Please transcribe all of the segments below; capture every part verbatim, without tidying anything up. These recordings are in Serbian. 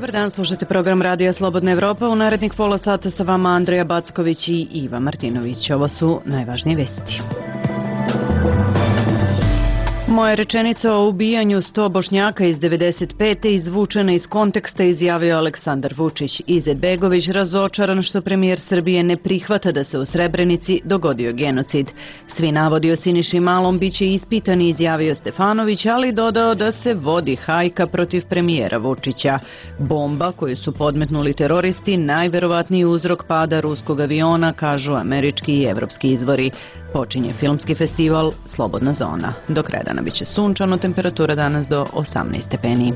Dobar dan, slušajte program Radija Slobodna Evropa. U narednih pola sata sa vama Andreja Backović i Iva Martinović. Ovo su najvažnije vesti. Moja rečenica o ubijanju sto Bošnjaka iz devedeset pete izvučena iz konteksta, izjavio Aleksandar Vučić. Izetbegović razočaran što premijer Srbije ne prihvata da se u Srebrenici dogodio genocid. Svi navodi o Siniši Malom biće ispitani, izjavio Stefanović, ali dodao da se vodi hajka protiv premijera Vučića. Bomba koju su podmetnuli teroristi najverovatniji uzrok pada ruskog aviona, kažu američki i evropski izvori. Počinje filmski festival Slobodna zona. Do kraja dana biće sunčano, temperatura danas do osamnaest stepeni.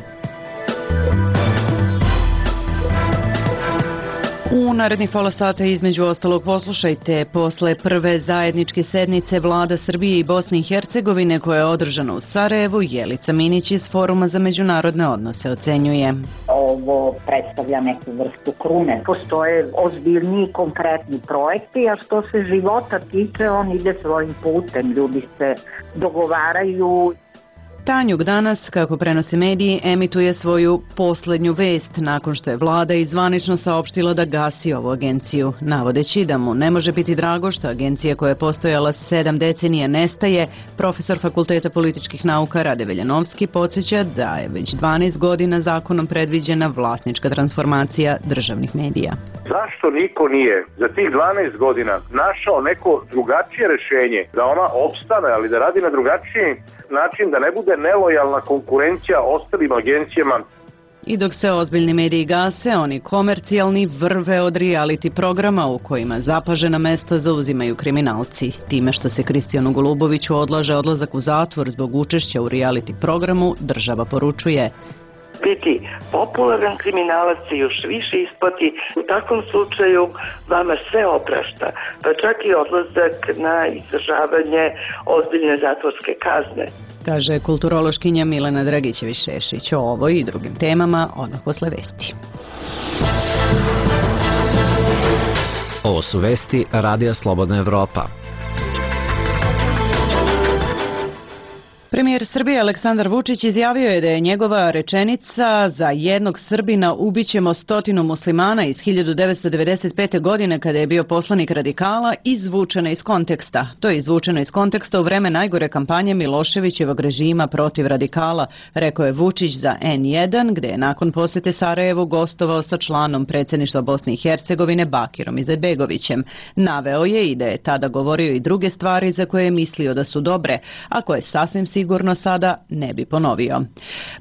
U narednih pola sata između ostalog poslušajte, posle prve zajedničke sednice vlada Srbije i Bosne i Hercegovine koja je održana u Sarajevu, Jelica Minić iz Foruma za međunarodne odnose ocenjuje. Ovo predstavlja neku vrstu krune. Postoje ozbiljniji konkretni projekti, a što se života tiče, on ide svojim putem, ljudi se dogovaraju. Tanjug danas, kako prenose mediji, emituje svoju poslednju vest nakon što je vlada izvanično saopštila da gasi ovu agenciju, navodeći da mu ne može biti drago što agencija koja je postojala sedam decenija nestaje. Profesor Fakulteta političkih nauka Rade Veljanovski podsjeća da je već dvanaest godina zakonom predviđena vlasnička transformacija državnih medija. Zašto niko nije za tih dvanaest godina našao neko drugačije rešenje da ona opstane, ali da radi na drugačiji način, da ne bude nelojalna konkurencija ostalim agencijama? I dok se ozbiljni mediji gase, oni komercijalni vrve od reality programa u kojima zapažena mesta zauzimaju kriminalci. Time što se Kristijanu Goluboviću odlaže odlazak u zatvor zbog učešća u reality programu, država poručuje: biti popularan kriminalac se još više isplati. U takvom slučaju vama sve oprašta, pa čak i odlazak na izdržavanje ozbiljne zatvorske kazne, kaže kulturološkinja Milena Dragićević-Šešić. O ovoj i drugim temama odmah posle vesti. Ovo su vesti Radija Slobodna Evropa. Premijer Srbije Aleksandar Vučić izjavio je da je njegova rečenica za jednog Srbina ubićemo stotinu muslimana iz hiljadu devetsto devedeset pete. godine kada je bio poslanik radikala izvučena iz konteksta. To je izvučeno iz konteksta u vreme najgore kampanje Miloševićevog režima protiv radikala, rekao je Vučić za en jedan, gde je nakon posete Sarajevu gostovao sa članom predsjedništva Bosne i Hercegovine Bakirom Izetbegovićem. Naveo je i da je tada govorio i druge stvari za koje je mislio da su dobre, a koje sasvim sigurno sigurno sada ne bi ponovio.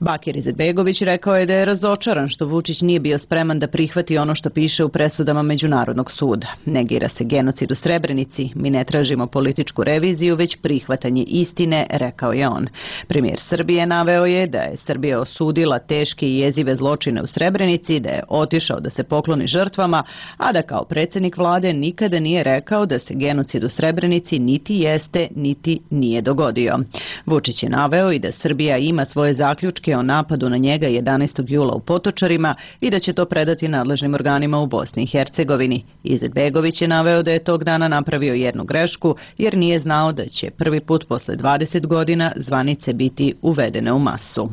Bakir Izetbegović rekao je da je razočaran što Vučić nije bio spreman da prihvati ono što piše u presudama Međunarodnog suda. Negira se genocid u Srebrenici, mi ne tražimo političku reviziju, već prihvatanje istine, rekao je on. Premijer Srbije naveo je da je Srbija osudila teške i jezive zločine u Srebrenici, da je otišao da se pokloni žrtvama, a da kao predsjednik vlade nikada nije rekao da se genocid u Srebrenici niti jeste, niti nije dogodio. Vučić je naveo i da Srbija ima svoje zaključke o napadu na njega jedanaestog jula u Potočarima i da će to predati nadležnim organima u Bosni i Hercegovini. Izetbegović je naveo da je tog dana napravio jednu grešku jer nije znao da će prvi put posle dvadeset godina zvanice biti uvedene u masu.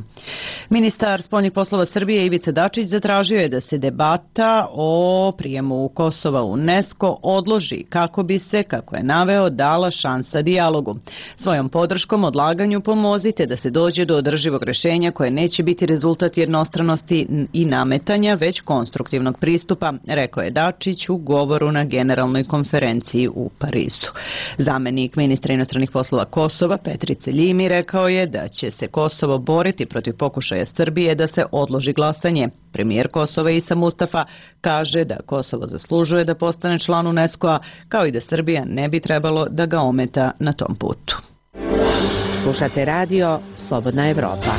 Ministar spoljnih poslova Srbije Ivica Dačić zatražio je da se debata o prijemu Kosova u UNESCO odloži kako bi se, kako je naveo, dala šansa dijalogu. Svojom podrškom odlaganju pomozite da se dođe do održivog rešenja koje neće biti rezultat jednostranosti i nametanja, već konstruktivnog pristupa, rekao je Dačić u govoru na generalnoj konferenciji u Parizu. Zamenik ministra inostranih poslova Kosova Petrice Ljimi rekao je da će se Kosovo boriti protiv pokušaja Srbije da se odloži glasanje. Premijer Kosova Isa Mustafa kaže da Kosovo zaslužuje da postane član UNESCO-a, kao i da Srbija ne bi trebalo da ga ometa na tom putu. Slušate radio Slobodna Evropa.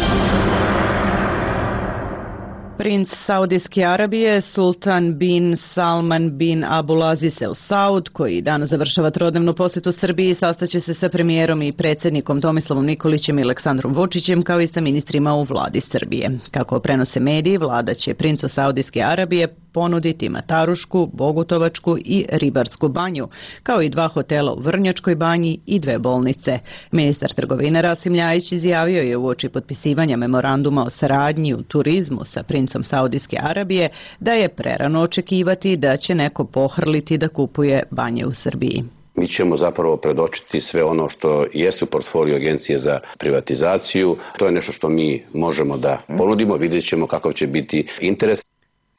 Princ Saudijske Arabije Sultan bin Salman bin Abdulaziz El Saud, koji danas završava trodnevnu posetu Srbiji, sastaće se sa premijerom i predsjednikom Tomislavom Nikolićem i Aleksandrom Vučićem, kao i sa ministrima u vladi Srbije. Kako prenose mediji, vlada će princu Saudijske Arabije ponuditi Matarušku, Bogutovačku i Ribarsku banju, kao i dva hotela u Vrnjačkoj banji i dve bolnice. Ministar trgovine Rasim Ljajić izjavio je uoči potpisivanja memoranduma o saradnji u turizmu sa princom Saudijske Arabije da je prerano očekivati da će neko pohrliti da kupuje banje u Srbiji. Mi ćemo zapravo predočiti sve ono što jeste u portfoliju Agencije za privatizaciju. To je nešto što mi možemo da ponudimo, vidjet ćemo kakav će biti interes.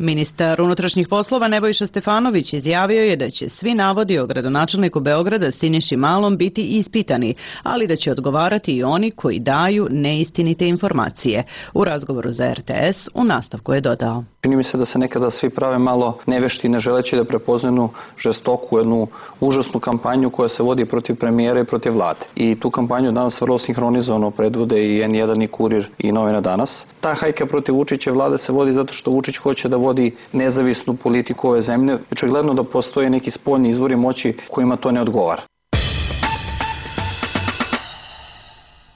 Ministar unutrašnjih poslova Nebojša Stefanović izjavio je da će svi navodi o gradonačelniku Beograda Siniši Malom biti ispitani, ali da će odgovarati i oni koji daju neistinite informacije. U razgovoru za R T S u nastavku je dodao: Čini mi se da se nekada svi prave malo nevešti, ne želeći da prepoznaju žestoku, jednu užasnu kampanju koja se vodi protiv premijera i protiv vlade. I tu kampanju danas vrlo sinhronizovano predvode i en jedan i Kurir i Novina danas. Ta hajka protiv Vučića vlade se vodi zato što Vučić hoće da vodi nezavisnu politiku ove zemlje. Očigledno da postoje neki spoljni izvori moći kojima to ne odgovara.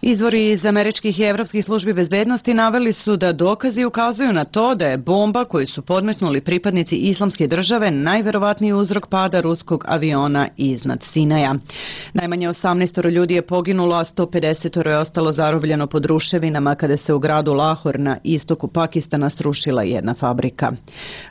Izvori iz američkih i evropskih službi bezbednosti naveli su da dokazi ukazuju na to da je bomba koju su podmetnuli pripadnici Islamske države najverovatniji uzrok pada ruskog aviona iznad Sinaja. Najmanje osamnaest ljudi je poginulo, a sto pedeset je ostalo zarobljeno pod ruševinama kada se u gradu Lahor na istoku Pakistana srušila jedna fabrika.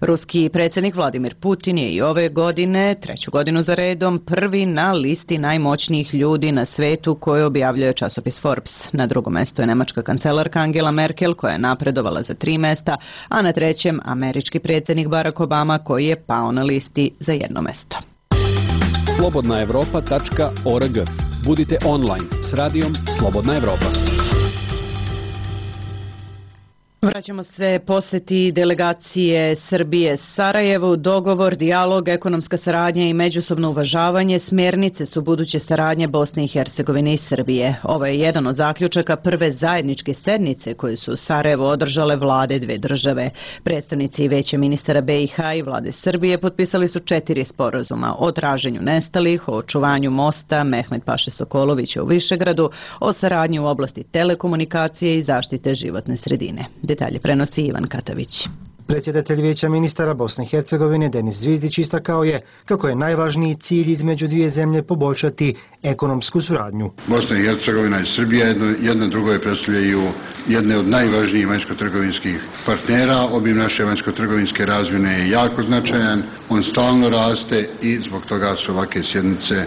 Ruski predsjednik Vladimir Putin je i ove godine, treću godinu za redom, prvi na listi najmoćnijih ljudi na svetu koje objavljuje časopis Forbes. Na drugom mestu je nemačka kancelarka Angela Merkel koja je napredovala za tri mesta, a na trećem američki predsjednik Barack Obama koji je pao na listi za jedno mesto. slobodna evropa tačka org. Budite online s radijom Slobodna Evropa. Vraćamo se poseti delegacije Srbije Sarajevu. Dogovor, dijalog, ekonomska saradnja i međusobno uvažavanje smjernice su buduće saradnje Bosne i Hercegovine i Srbije. Ovo je jedan od zaključaka prve zajedničke sednice koje su u Sarajevu održale vlade dve države. Predstavnici Veća ministara be i ha i vlade Srbije potpisali su četiri sporazuma o traženju nestalih, o očuvanju mosta Mehmet Paše Sokolovića u Višegradu, o saradnji u oblasti telekomunikacije i zaštite životne sredine. Detalje prenosi Ivan Katavić. Predsjedatelj Vijeća ministara Bosne i Hercegovine Denis Zvizdić istakao je kako je najvažniji cilj između dvije zemlje poboljšati ekonomsku suradnju. Bosna i Hercegovina i Srbija jedno, jedno drugo predstavljaju jedne od najvažnijih vanjsko-trgovinskih partnera. Obim naše vanjsko-trgovinske razmjene je jako značajan, on stalno raste i zbog toga su ovakve sjednice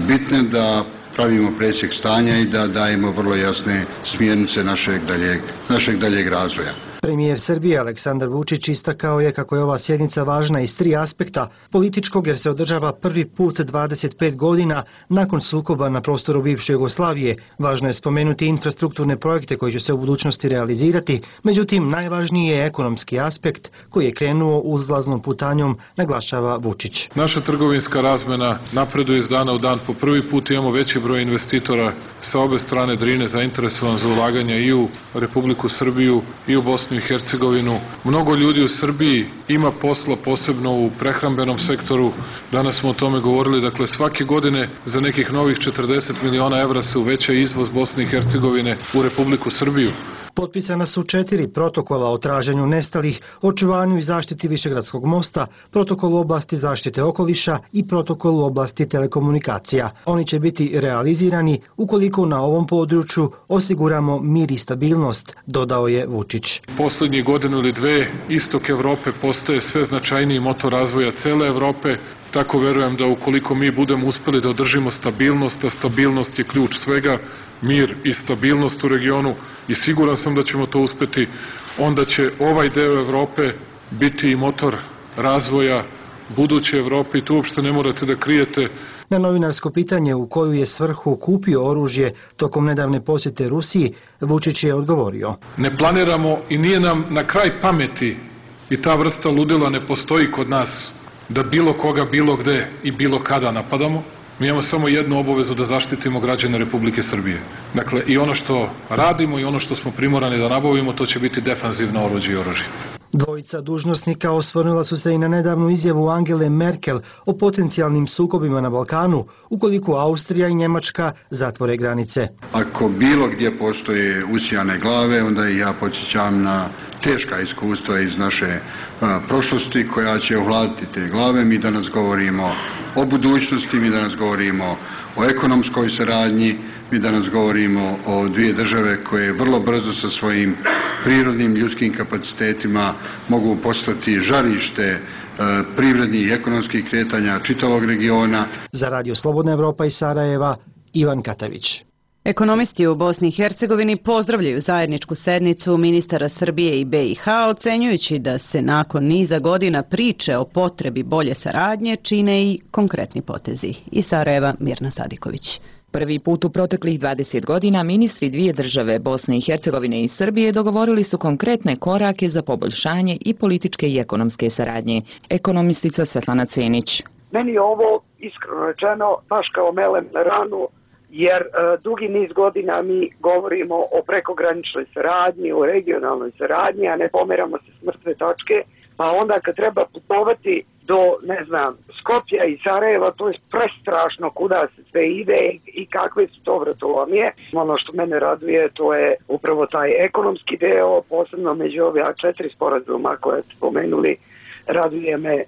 bitne da pravimo presjek stanja i da dajemo vrlo jasne smjernice našeg daljeg, našeg daljeg razvoja. Premijer Srbije Aleksandar Vučić istakao je kako je ova sjednica važna iz tri aspekta: političkog jer se održava prvi put dvadeset pet godina nakon sukoba na prostoru bivše Jugoslavije. Važno je spomenuti infrastrukturne projekte koji će se u budućnosti realizirati, međutim najvažniji je ekonomski aspekt koji je krenuo uzlaznom putanjom, naglašava Vučić. Naša trgovinska razmena napreduje iz dana u dan. Po prvi put imamo veći broj investitora sa obe strane Drine zainteresovan za ulaganje i u Republiku Srbiju i u Bosnu i Hercegovinu. Mnogo ljudi u Srbiji ima posla, posebno u prehrambenom sektoru. Danas smo o tome govorili. Dakle, svake godine za nekih novih četrdeset miliona evra se uveća izvoz Bosne i Hercegovine u Republiku Srbiju. Potpisana su četiri protokola o traženju nestalih, očuvanju i zaštiti Višegradskog mosta, protokol u oblasti zaštite okoliša i protokol u oblasti telekomunikacija. Oni će biti realizirani ukoliko na ovom području osiguramo mir i stabilnost, dodao je Vučić. Poslednjih godinu ili dve istok Evrope postaje sve značajniji motor razvoja cele Evrope. Tako verujem da ukoliko mi budemo uspeli da održimo stabilnost, a stabilnost je ključ svega, mir i stabilnost u regionu, i siguran sam da ćemo to uspeti, onda će ovaj deo Evrope biti i motor razvoja buduće Evrope i tu uopšte ne morate da krijete. Na novinarsko pitanje u koju je svrhu kupio oružje tokom nedavne posjete Rusiji, Vučić je odgovorio: Ne planiramo i nije nam na kraj pameti, i ta vrsta ludila ne postoji kod nas, da bilo koga, bilo gde i bilo kada napadamo. Mi imamo samo jednu obavezu, da zaštitimo građane Republike Srbije. Dakle, i ono što radimo i ono što smo primorani da nabavimo, to će biti defanzivno oruđe i oružje. Dvojica dužnosnika osvrnula su se i na nedavnu izjavu Angele Merkel o potencijalnim sukobima na Balkanu ukoliko Austrija i Njemačka zatvore granice. Ako bilo gdje postoje usijane glave, onda i ja podsjećam na teška iskustva iz naše a, prošlosti koja će ovladiti te glave. Mi danas govorimo o budućnosti, mi danas govorimo o ekonomskoj saradnji, mi danas govorimo o dvije države koje vrlo brzo sa svojim prirodnim ljudskim kapacitetima mogu postati žarište e, privrednih i ekonomskih kretanja čitavog regiona. Za Radio Slobodna Evropa iz Sarajeva, Ivan Katavić. Ekonomisti u Bosni i Hercegovini pozdravljaju zajedničku sednicu ministara Srbije i B i H, ocenjujući da se nakon niza godina priče o potrebi bolje saradnje čine i konkretni potezi. Iz Sarajeva, Mirna Sadiković. Prvi put u proteklih dvadeset godina ministri dvije države, Bosne i Hercegovine i Srbije, dogovorili su konkretne korake za poboljšanje i političke i ekonomske saradnje. Ekonomistica Svetlana Cenić. Meni je ovo, iskreno rečeno, baš kao melem na ranu, jer e, dugi niz godina mi govorimo o prekograničnoj saradnji, o regionalnoj saradnji, a ne pomeramo se s mrtve točke, pa onda kad treba putovati do, ne znam, Skopja i Sarajeva, to je prestrašno kuda se sve ide i kakve su to vratolomije. Ono što mene raduje, to je upravo taj ekonomski deo, posebno među ove četiri sporazuma koje ste spomenuli. Raduje me e,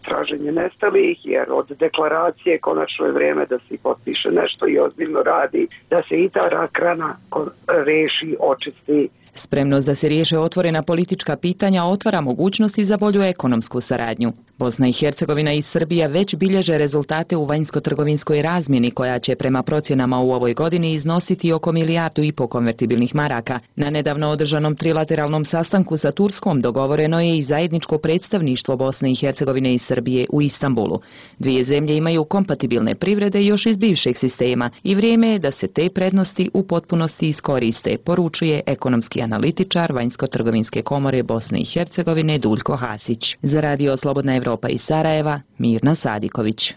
traženje nestalih, jer od deklaracije konačno je vrijeme da se potpiše nešto i ozbiljno radi, da se i ta rak rana reši, očisti. Spremnost da se riješe otvorena politička pitanja otvara mogućnosti za bolju ekonomsku saradnju. Bosna i Hercegovina i Srbija već bilježe rezultate u vanjsko-trgovinskoj razmjeni koja će prema procjenama u ovoj godini iznositi oko milijardu i po konvertibilnih maraka. Na nedavno održanom trilateralnom sastanku sa Turskom dogovoreno je i zajedničko predstavništvo Bosne i Hercegovine i Srbije u Istanbulu. Dvije zemlje imaju kompatibilne privrede još iz bivšeg sistema i vrijeme je da se te prednosti u potpunosti iskoriste, poručuje ekonomski analitičar Vanjsko-trgovinske komore Bosne i Hercegovine Duljko Hasić. Za Radio Slobodna Evropa iz Sarajeva, Mirna Sadiković.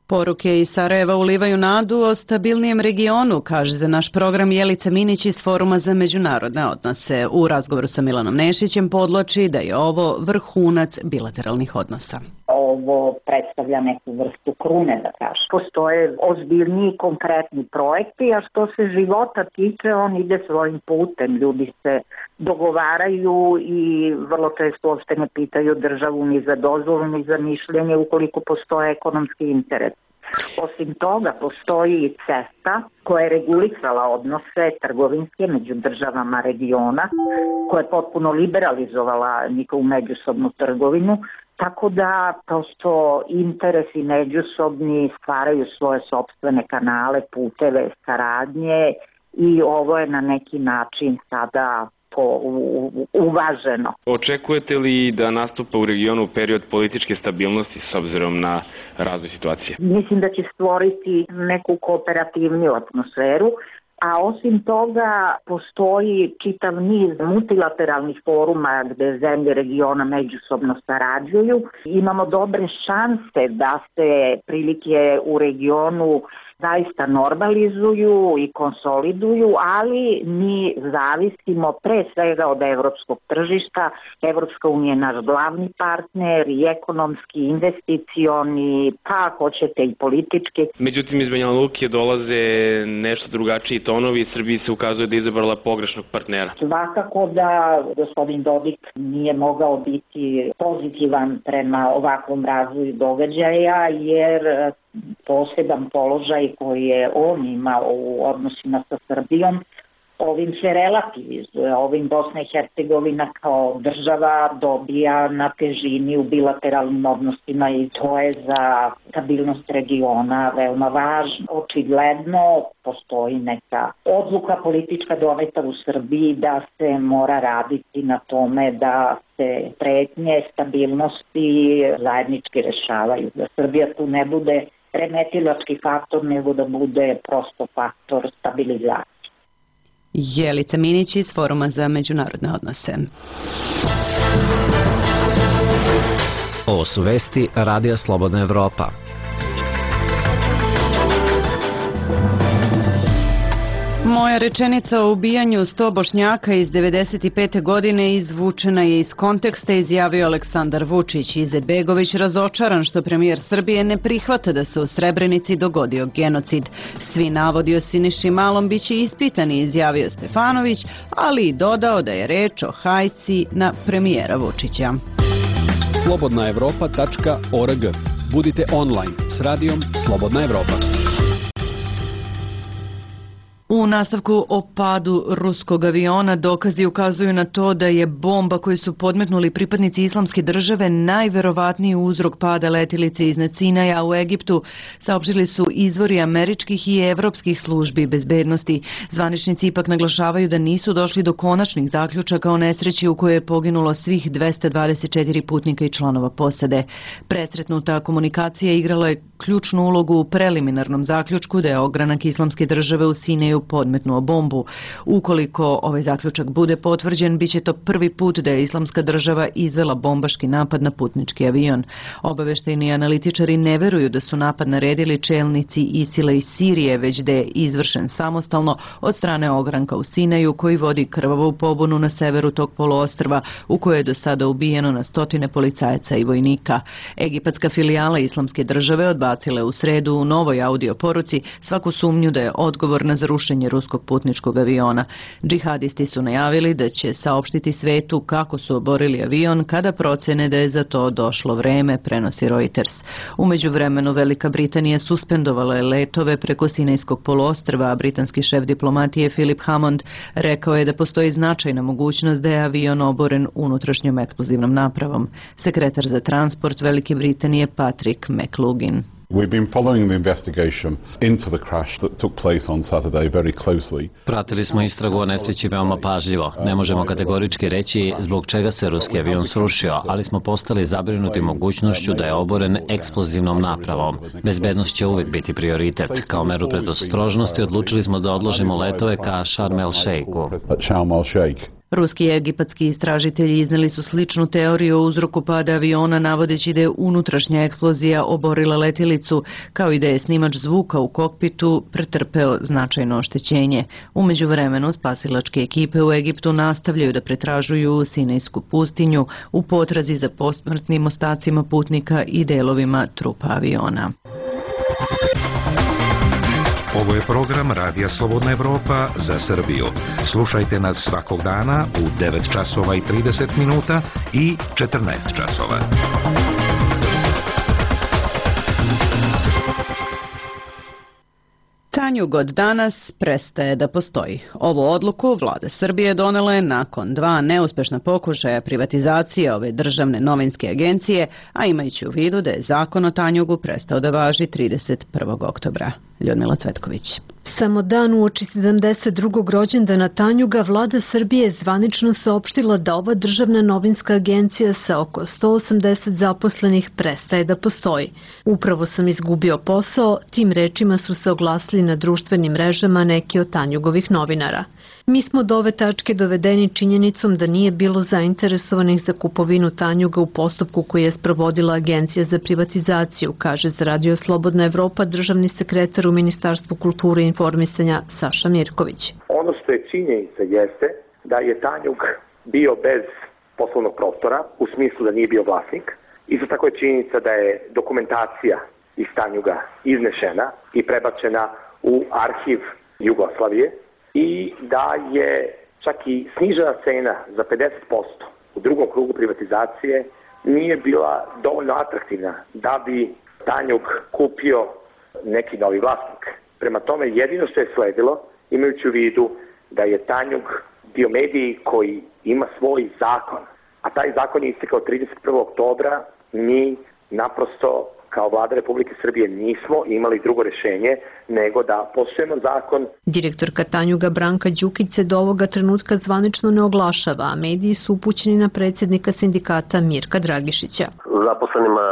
Poruke iz Sarajeva ulivaju nadu o stabilnijem regionu, kaže za naš program Jelica Minić iz Foruma za međunarodne odnose. U razgovoru sa Milanom Nešićem podloči da je ovo vrhunac bilateralnih odnosa. Ovo predstavlja neku vrstu krune, da kažem. Postoje ozbiljni konkretni projekti, a što se života tiče, on ide svojim putem. Ljudi se dogovaraju i vrlo često uopšte ne pitaju državu ni za dozvolu, ni za mišljenje ukoliko postoje ekonomski interes. Osim toga, postoji i CEFTA koja je regulisala odnose trgovinske među državama regiona, koja je potpuno liberalizovala njihovu međusobnu trgovinu, tako da prosto interesi međusobni stvaraju svoje sopstvene kanale, puteve, saradnje i ovo je na neki način sada uvaženo. Očekujete li da nastupa u regionu period političke stabilnosti s obzirom na razvoj situacije? Mislim da će stvoriti neku kooperativniju atmosferu, a osim toga postoji čitav niz multilateralnih foruma gde zemlje regiona međusobno sarađuju. Imamo dobre šanse da se prilike u regionu zaista normalizuju i konsoliduju, ali mi zavisimo pre svega od evropskog tržišta. Evropska unija je naš glavni partner i ekonomski, investicioni, pa hoćete i politički. Međutim, iz Banja Luke dolaze nešto drugačiji tonovi i Srbiji se ukazuje da je izabrala pogrešnog partnera. Svakako da gospodin Dodik nije mogao biti pozitivan prema ovakvom razvoju događaja, jer poseban položaj koji je on imao u odnosima sa Srbijom, ovim se relativizuje, ovim Bosna i Hercegovina kao država dobija na težini u bilateralnim odnosima i to je za stabilnost regiona veoma važno. Očigledno postoji neka odluka politička doneta u Srbiji da se mora raditi na tome da se pretnje stabilnosti zajednički rešavaju, da Srbija tu ne bude remetilački faktor, nego da bude prosto faktor stabilizacije. Jelica Minić iz Foruma za međunarodne odnose. Ovo su vesti Radija Slobodna Evropa. Moja rečenica o ubijanju sto Bošnjaka iz devedeset pete. godine izvučena je iz konteksta, izjavio Aleksandar Vučić. Izetbegović razočaran što premijer Srbije ne prihvata da se u Srebrenici dogodio genocid. Svi navodi o Siniši Malom biće ispitani, izjavio Stefanović, ali i dodao da je reč o hajci na premijera Vučića. slobodna evropa tačka org. Budite online s radijom Slobodna Evropa. U nastavku o padu ruskog aviona dokazi ukazuju na to da je bomba koju su podmetnuli pripadnici Islamske države najverovatniji uzrok pada letilice iznad Sinaja u Egiptu, saopštili su izvori američkih i evropskih službi bezbednosti. Zvaničnici ipak naglašavaju da nisu došli do konačnih zaključaka o nesreći u kojoj je poginulo svih dvesta dvadeset četiri putnika i članova posade. Presretnuta komunikacija igrala je ključnu ulogu u preliminarnom zaključku da je ogranak Islamske države u Sinaju podmetnuo bombu. Ukoliko ovaj zaključak bude potvrđen, bit će to prvi put da je Islamska država izvela bombaški napad na putnički avion. Obaveštajni analitičari ne veruju da su napad naredili čelnici Isila iz Sirije, već da je izvršen samostalno od strane ogranka u Sinaju koji vodi krvavu pobunu na severu tog poluostrva u kojoj je do sada ubijeno na stotine policajaca i vojnika. Egipatska filijala Islamske države odbacila u sredu u novoj audio poruci svaku sumnju da je odgovorna za rušenje ruskog putničkog aviona. Džihadisti su najavili da će saopštiti svetu kako su oborili avion kada procene da je za to došlo vreme, prenosi Reuters. Umeđu vremenu Velika Britanija suspendovala je letove preko Sinajskog poluostrva, a britanski šef diplomatije Philip Hammond rekao je da postoji značajna mogućnost da je avion oboren unutrašnjom eksplozivnom napravom. Sekretar za transport Velike Britanije Patrick McLugin. We've been following the investigation into the crash that took place on Saturday very closely. Pratili smo istragu o nesreći veoma pažljivo. Ne možemo kategorički reći zbog čega se ruski avion srušio, ali smo postali zabrinuti mogućnošću da je oboren eksplozivnom napravom. Bezbednost će uvijek biti prioritet. Kao meru predostrožnosti odlučili smo da odložimo letove ka Sharm el Sheikhu. Ruski i egipatski istražitelji izneli su sličnu teoriju o uzroku pada aviona, navodeći da je unutrašnja eksplozija oborila letilicu, kao i da je snimač zvuka u kokpitu pretrpeo značajno oštećenje. Umeđu vremenu, spasilačke ekipe u Egiptu nastavljaju da pretražuju Sinajsku pustinju u potrazi za posmrtnim ostacima putnika i delovima trupa aviona. Ovo je program Radija Slobodna Evropa za Srbiju. Slušajte nas svakog dana u devet časova i trideset minuta i četrnaest časova. Tanjug od danas prestaje da postoji. Ovu odluku vlada Srbije donela je nakon dva neuspešna pokušaja privatizacije ove državne novinske agencije, a imajući u vidu da je zakon o Tanjugu prestao da važi trideset prvog oktobra. Ljudmila Cvetković. Samo dan uoči sedamdeset drugog rođendana Tanjuga, vlada Srbije je zvanično saopštila da ova državna novinska agencija sa oko sto osamdeset zaposlenih prestaje da postoji. Upravo sam izgubio posao, tim rečima su se oglasili na društvenim mrežama neki od Tanjugovih novinara. Mi smo do ove tačke dovedeni činjenicom da nije bilo zainteresovanih za kupovinu Tanjuga u postupku koji je sprovodila Agencija za privatizaciju, kaže za Radio Slobodna Evropa državni sekretar u Ministarstvu kulture i informisanja Saša Mirković. Ono što je činjenica jeste da je Tanjug bio bez poslovnog prostora, u smislu da nije bio vlasnik. Isto tako je činjenica da je dokumentacija iz Tanjuga iznešena i prebačena u arhiv Jugoslavije i da je čak i snižena cena za pedeset posto u drugom krugu privatizacije nije bila dovoljno atraktivna da bi Tanjug kupio neki novi vlasnik. Prema tome, jedino što je sledilo, imajući u vidu da je Tanjug bio medij koji ima svoj zakon, a taj zakon je istekao trideset prvog oktobra, mi naprosto kao vlada Republike Srbije nismo imali drugo rešenje nego da poštujemo zakon. Direktorka Tanjuga Branka Đukić se do ovoga trenutka zvanično ne oglašava, a mediji su upućeni na predsjednika sindikata Mirka Dragišića. Zaposlenima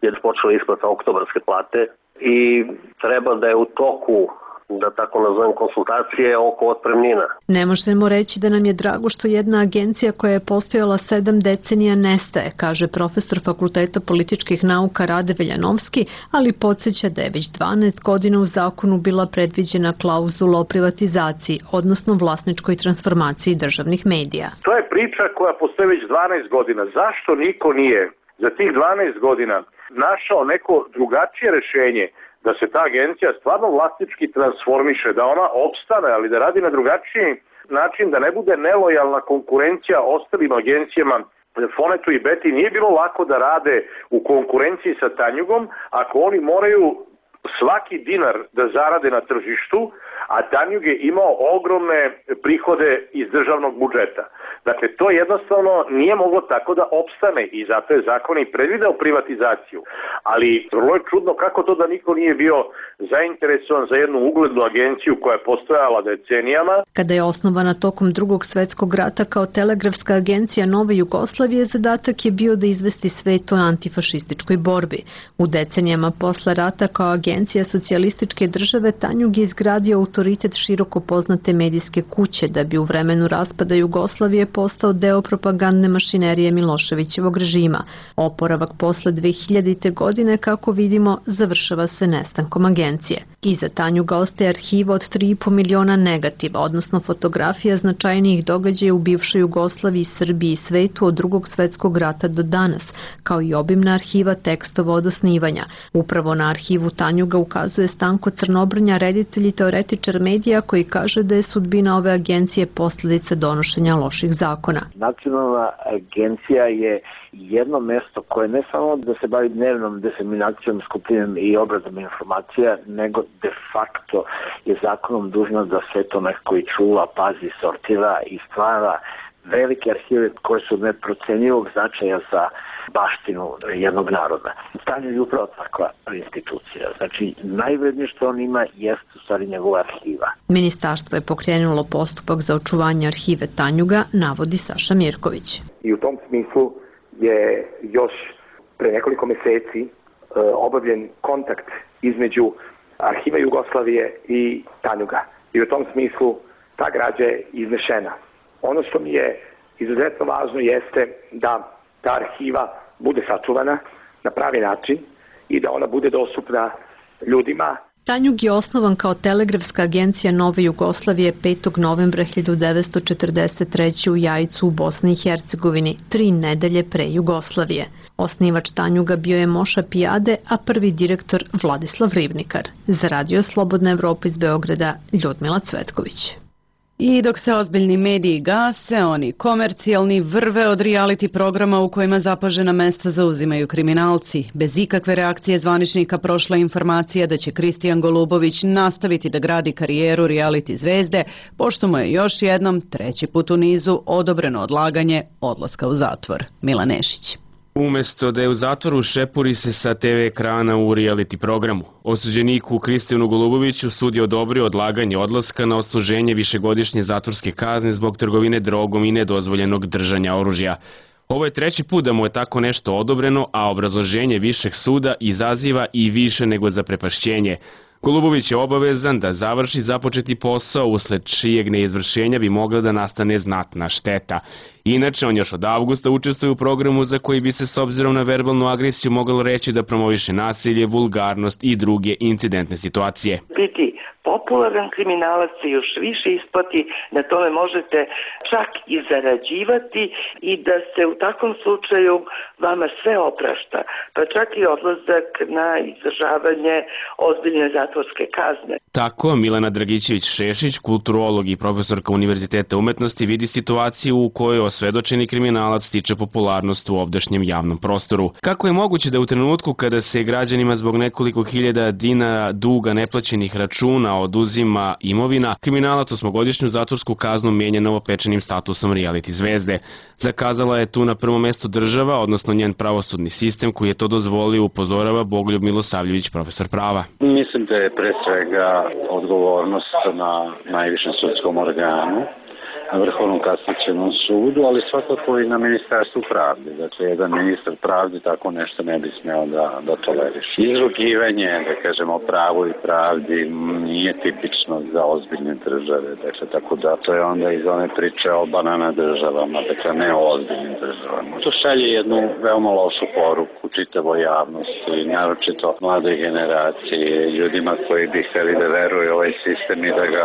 je počela isplata oktobarske plate i treba da je u toku da tako nazovem, konsultacije oko otpremnina. Ne možemo reći da nam je drago što jedna agencija koja je postojala sedam decenija nestaje, kaže profesor Fakulteta političkih nauka Rade Veljanovski, ali podsjeća da je već dvanaest godina u zakonu bila predviđena klauzula o privatizaciji, odnosno vlasničkoj transformaciji državnih medija. To je priča koja postoji već dvanaest godina. Zašto niko nije za tih dvanaest godina našao neko drugačije rešenje da se ta agencija stvarno vlasnički transformiše, da ona opstane, ali da radi na drugačiji način, da ne bude nelojalna konkurencija ostalim agencijama. Fonetu i Beti nije bilo lako da rade u konkurenciji sa Tanjugom ako oni moraju svaki dinar da zarade na tržištu, a Tanjug je imao ogromne prihode iz državnog budžeta. Dakle, to jednostavno nije moglo tako da opstane i zato je zakon i predvideo privatizaciju. Ali vrlo je čudno kako to da niko nije bio zainteresovan za jednu uglednu agenciju koja je postojala decenijama. Kada je osnovana tokom drugog svetskog rata kao telegrafska agencija Nove Jugoslavije, zadatak je bio da izvesti svet o antifašističkoj borbi. U decenijama posle rata kao agencija socijalističke države Tanjug je izgradio autoritet široko poznate medijske kuće da bi u vremenu raspada Jugoslavije postao deo propagandne mašinerije Miloševićevog režima. Oporavak posle dve hiljadite. godine, kako vidimo, završava se nestankom agencije. Iza Tanjuga ostaje arhiva od tri i po miliona negativa, odnosno fotografija značajnijih događaja u bivšoj Jugoslaviji, Srbiji i svetu od drugog svetskog rata do danas, kao i obimna arhiva tekstova od osnivanja. Upravo na arhivu Tanjuga ukazuje Stanko Crnobrnja, reditelj i teoretičar medija, koji kaže da je sudbina ove agencije posledica donošenja loših zakona. Nacionalna agencija je jedno mesto koje ne samo da se bavi dnevnom diseminacijom, skupljenjem i obradom informacija, nego de facto je zakonom dužna da sve to nekako i čuva, pazi, sortira i stvara velike arhive koje su neprocenjivog značaja za baštinu jednog naroda. Tanjug je upravo takva institucija. Znači, najvrednije što on ima jeste u stvari njegova arhiva. Ministarstvo je pokrenulo postupak za očuvanje arhive Tanjuga, navodi Saša Mirković. I u tom smislu je još pre nekoliko meseci e, obavljen kontakt između arhiva Jugoslavije i Tanjuga. I u tom smislu ta građa je iznešena. Ono što mi je izuzetno važno jeste da ta arhiva bude sačuvana na pravi način i da ona bude dostupna ljudima. Tanjug je osnovan kao telegrafska agencija Nove Jugoslavije petog novembra hiljadu devetsto četrdeset treće. u Jajcu u Bosni i Hercegovini, tri nedelje pre Jugoslavije. Osnivač Tanjuga bio je Moša Pijade, a prvi direktor Vladislav Ribnikar. Za Radio Slobodna Evropa iz Beograda, Ljudmila Cvetković. I dok se ozbiljni mediji gase, oni komercijalni vrve od reality programa u kojima zapažena mesta zauzimaju kriminalci. Bez ikakve reakcije zvaničnika prošla informacija da će Kristijan Golubović nastaviti da gradi karijeru reality zvezde, pošto mu je još jednom, treći put u nizu, odobreno odlaganje odlaska u zatvor. Mila Nešić. Umesto da je u zatvoru, šepuri se sa te ve ekrana u reality programu. Osuđeniku Kristijanu Goluboviću sud je odobrio odlaganje odlaska na odsluženje višegodišnje zatvorske kazne zbog trgovine drogom i nedozvoljenog držanja oružja. Ovo je treći put da mu je tako nešto odobreno, a obrazloženje višeg suda izaziva i više nego zaprepašćenje. Golubović je obavezan da završi započeti posao, usled čijeg neizvršenja bi mogla da nastane znatna šteta. Inače, on još od avgusta učestvuje u programu za koji bi se s obzirom na verbalnu agresiju moglo reći da promoviše nasilje, vulgarnost i druge incidentne situacije. Biti popularan kriminalac se još više isplati, na tome možete čak i zarađivati i da se u takvom slučaju vama sve oprašta, pa čak i odlazak na izdržavanje ozbiljne zatvorske kazne. Tako Milena Dragićević-Šešić, kulturolog i profesorka Univerziteta umetnosti, vidi situaciju u kojoj osvedočeni kriminalac stiče popularnost u ovdašnjem javnom prostoru. Kako je moguće da u trenutku kada se građanima zbog nekoliko hiljada dinara duga neplaćenih računa oduzima imovina, kriminalac osmogodišnju zatvorsku kaznu menja novopečenim statusom reality zvezde? Zakazala je tu na prvo mesto država, odnosno njen pravosudni sistem koji je to dozvolio, upozorava Bogoljub Milosavljević, profesor prava. Mislim da je pre svega odgovornost na najvišem sudskom organu na Vrhovnom kasacionom sudu, ali svakako i na Ministarstvu pravde. Dakle, jedan ministar pravde tako nešto ne bi smeo da, da toleriše. Izrugivanje, da kažemo, pravu i pravdi nije tipično za ozbiljne države. Dakle, tako da to je onda iz one priče o banana državama, dakle ne o ozbiljnim državama. To šalje jednu veoma lošu poruku čitavoj javnosti, naročito mladoj generaciji, ljudima koji bi hteli da veruju ovaj sistem i da ga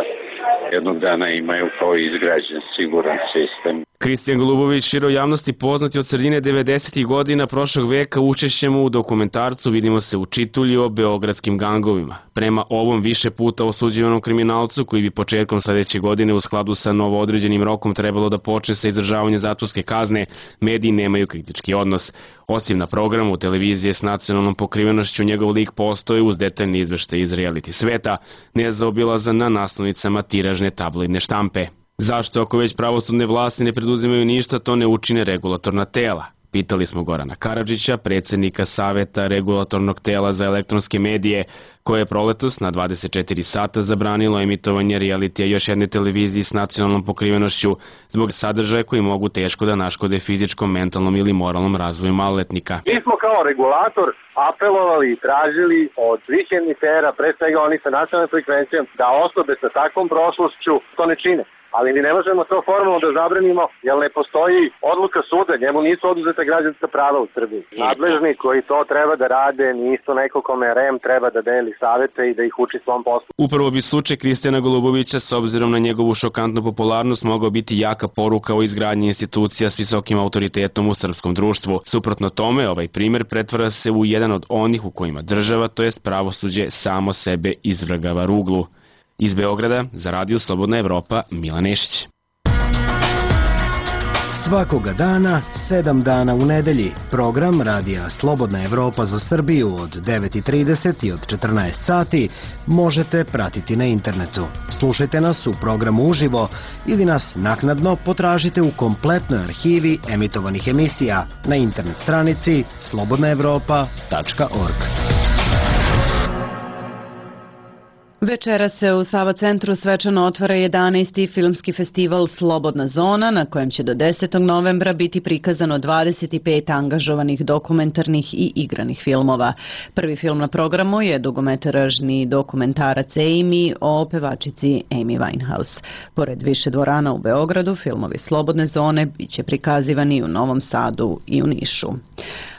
jednog dana imaju kao izgrađen siguran sistem. Kristijan Golubović, široj javnosti poznati od sredine devedesetih godina prošlog veka, učešćem u dokumentarcu Vidimo se u Čitulji o beogradskim gangovima. Prema ovom više puta osuđivanom kriminalcu, koji bi početkom sledeće godine u skladu sa novoodređenim rokom trebalo da počne sa izdržavanjem zatvorske kazne, mediji nemaju kritički odnos. Osim na programu televizije s nacionalnom pokrivenošću, njegov lik postoji uz detaljni izveštaj iz reality sveta, nezaobilazan na naslovnicama tiražne tabloidne štampe. Zašto, ako već pravosudne vlasti ne preduzimaju ništa, to ne učine regulatorna tela? Pitali smo Gorana Karadžića, predsjednika Saveta regulatornog tela za elektronske medije, koje je proletos na dvadeset četiri sata zabranilo emitovanje realitija još jedne televiziji s nacionalnom pokrivenošću zbog sadržaja koji mogu teško da naškode fizičkom, mentalnom ili moralnom razvoju maloletnika. Mi smo kao regulator apelovali i tražili od svih emitera, pre svega oni sa nacionalnom frekvencijom, da osobe sa takvom prošlošću to ne čine. Ali mi ne možemo to formalno da zabranimo, jer ne postoji odluka suda, njemu nisu oduzeta građanska prava u Srbiji. Nadležni koji to treba da rade nisu neko kome R E M treba da deli savete i da ih uči svom poslu. Upravo bi slučaj Kristijana Golubovića, s obzirom na njegovu šokantnu popularnost, mogao biti jaka poruka o izgradnji institucija s visokim autoritetom u srpskom društvu. Suprotno tome, ovaj primer pretvara se u jedan od onih u kojima država, to jest pravosuđe, samo sebe izvrgava ruglu. Iz Beograda, za Radio Slobodna Evropa, Milan Nešić. Svakoga dana, sedam dana u nedelji, program Radija Slobodna Evropa za Srbiju od devet i trideset i od četrnaest sati možete pratiti na internetu. Slušajte nas u programu uživo ili nas naknadno potražite u kompletnoj arhivi emitovanih emisija na internet stranici slobodna evropa tačka org. Večera se u Sava centru svečano otvara jedanaesti filmski festival Slobodna zona, na kojem će do desetog novembra biti prikazano dvadeset pet angažovanih dokumentarnih i igranih filmova. Prvi film na programu je dugometražni dokumentarac Amy o pevačici Amy Winehouse. Pored više dvorana u Beogradu, filmovi Slobodne zone biće prikazivani u Novom Sadu i u Nišu.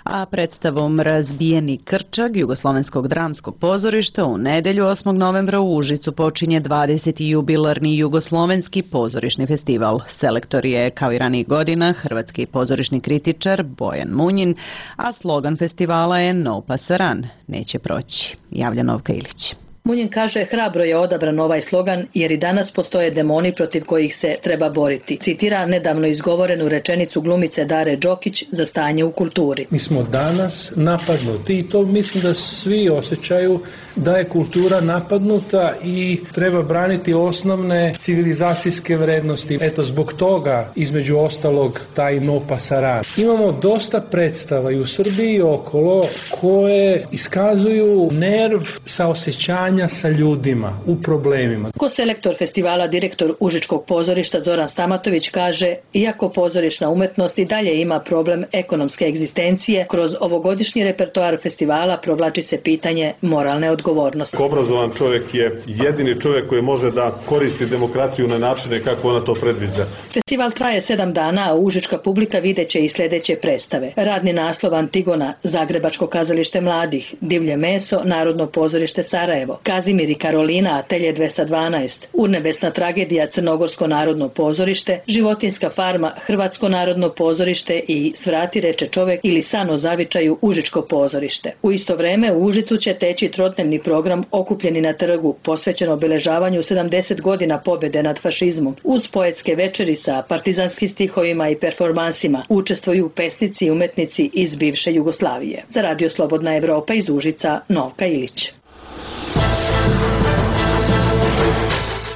A predstavom Razbijeni krčag Jugoslovenskog dramskog pozorišta u nedelju osmog novembra u Užicu počinje dvadeseti jubilarni Jugoslovenski pozorišni festival. Selektor je, kao i ranijih godina, hrvatski pozorišni kritičar Bojan Munjin, a slogan festivala je No pasaran, neće proći. Javlja Novka Ilić. Munjin kaže, hrabro je odabran ovaj slogan jer i danas postoje demoni protiv kojih se treba boriti. Citira nedavno izgovorenu rečenicu glumice Dare Đokić za stanje u kulturi. Mi smo danas napadnuti i to mislim da svi osjećaju da je kultura napadnuta i treba braniti osnovne civilizacijske vrednosti. Eto, zbog toga, između ostalog, taj No pasaran. Imamo dosta predstava i u Srbiji i okolo koje iskazuju nerv saosećanja sa ljudima u problemima. Ko selektor festivala, direktor Užičkog pozorišta Zoran Stamatović kaže, iako pozorišna umetnost i dalje ima problem ekonomske egzistencije, kroz ovogodišnji repertoar festivala provlači se pitanje moralne odgovornosti. Obrazovan čovjek je jedini čovjek koji može da koristi demokratiju na načine kako ona to predviđa. Festival traje sedam dana, a užička publika videće i sljedeće predstave. Radni naslov Antigona, Zagrebačko kazalište mladih, Divlje meso, Narodno pozorište Sarajevo, Kazimir i Karolina, Atelje dvesta dvanaest, Urnebesna tragedija, Crnogorsko narodno pozorište, Životinska farma, Hrvatsko narodno pozorište i Svrati reče čovek ili San o zavičaju, Užičko pozorište. U isto vreme u Užicu će teći trodnevni program Okupljeni na trgu, posvećen obeležavanju sedamdeset godina pobjede nad fašizmom. Uz poetske večeri sa partizanskim stihovima i performansima učestvuju pesnici i umetnici iz bivše Jugoslavije. Za Radio Slobodna Evropa iz Užica, Novka Ilić.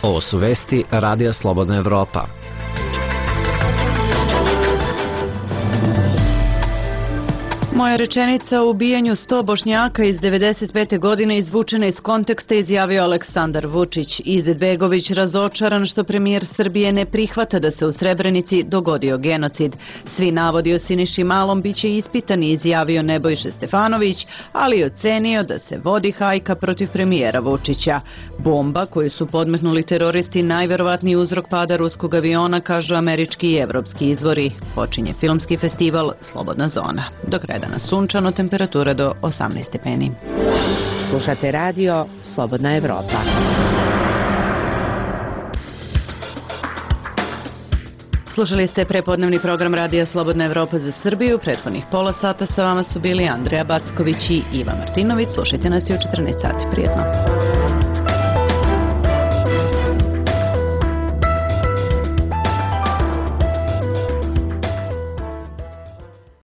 Ovo su vesti Radija Slobodna Evropa. Moja rečenica o ubijanju sto Bošnjaka iz devedeset pete. godine izvučena iz konteksta, izjavio Aleksandar Vučić. Izetbegović razočaran što premijer Srbije ne prihvata da se u Srebrenici dogodio genocid. Svi navodi o Siniši Malom biće ispitani, izjavio Nebojša Stefanović, ali ocenio da se vodi hajka protiv premijera Vučića. Bomba koju su podmetnuli teroristi najverovatniji uzrok pada ruskog aviona, kažu američki i evropski izvori. Počinje filmski festival Slobodna zona. Do kraja danas sunčano, temperatura do osamnaest stepeni. Slušate radio Slobodna Evropa. Slušali ste prepodnevni program Radija Slobodna Evropa za Srbiju. Prethodnih pola sata sa vama su bili Andreja Backović i Iva Martinović. Slušajte nas i u četrnaest sati. Prijetno.